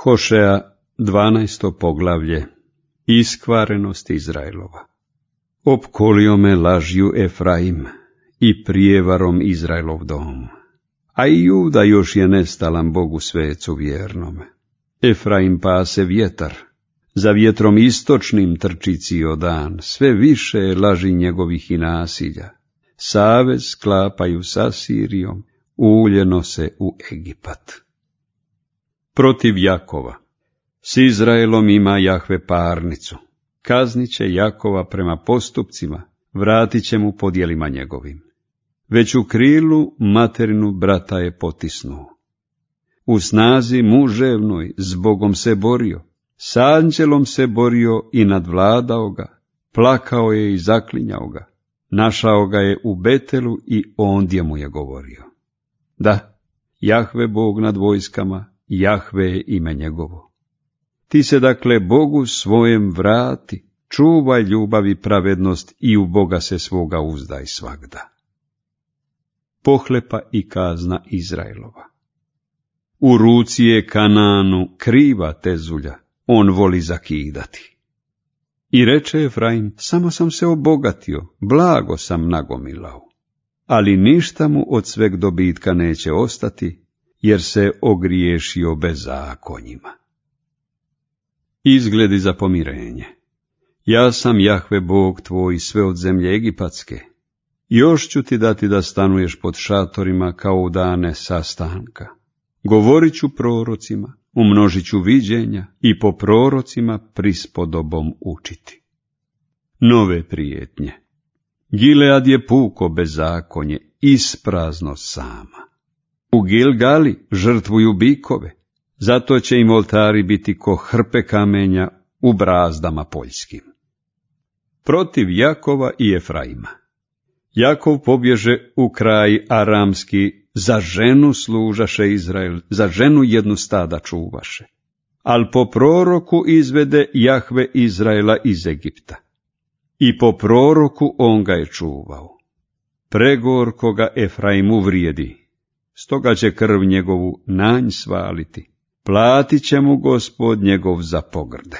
Hošea, 12. poglavlje. Iskvarenost Izraelova. Opkolio me lažju Efraim i prijevarom Izraelov dom, a i Juda još je nestalan Bogu svecu vjernome. Efraim pase vjetar, za vjetrom istočnim trči cijel dan, sve više je laži njegovih i nasilja. Savez sklapaju s Asirijom, uljeno se u Egipat. Protiv Jakova. S Izraelom ima Jahve parnicu. Kaznit će Jakova prema postupcima, vratit će mu po djelima njegovim. Već u krilu materinu brata je potisnuo. U snazi muževnoj s Bogom se borio, s anđelom se borio i nadvladao ga, plakao je i zaklinjao ga, našao ga je u Betelu i ondje mu je govorio. Da, Jahve Bog nad vojskama, Jahve je ime njegovo. Ti se dakle Bogu svojem vrati, čuvaj ljubav i pravednost i u Boga se svoga uzdaj svagda. Pohlepa i kazna Izraelova. U ruci je Kananu kriva tezulja, on voli zakidati. I reče Efraim, samo sam se obogatio, blago sam nagomilao, ali ništa mu od sveg dobitka neće ostati, jer se ogriješio bezakonjima. Izgledi za pomirenje. Ja sam Jahve Bog tvoj sve od zemlje egipatske. Još ću ti dati da stanuješ pod šatorima kao u dane sastanka. Govorit ću prorocima, umnožit ću viđenja i po prorocima prispodobom učiti. Nove prijetnje. Gilead je puko bezakonje, isprazno sama. U Gilgali žrtvuju bikove, zato će im oltari biti ko hrpe kamenja u brazdama poljskim. Protiv Jakova i Efraima. Jakov pobježe u kraj aramski, za ženu služaše Izrael, za ženu jednu stada čuvaše. Al po proroku izvede Jahve Izraela iz Egipta. I po proroku on ga je čuvao. Pregorko ga Efraim uvrijedi, stoga će krv njegovu na nj svaliti. Platit će mu Gospod njegov za pogrde.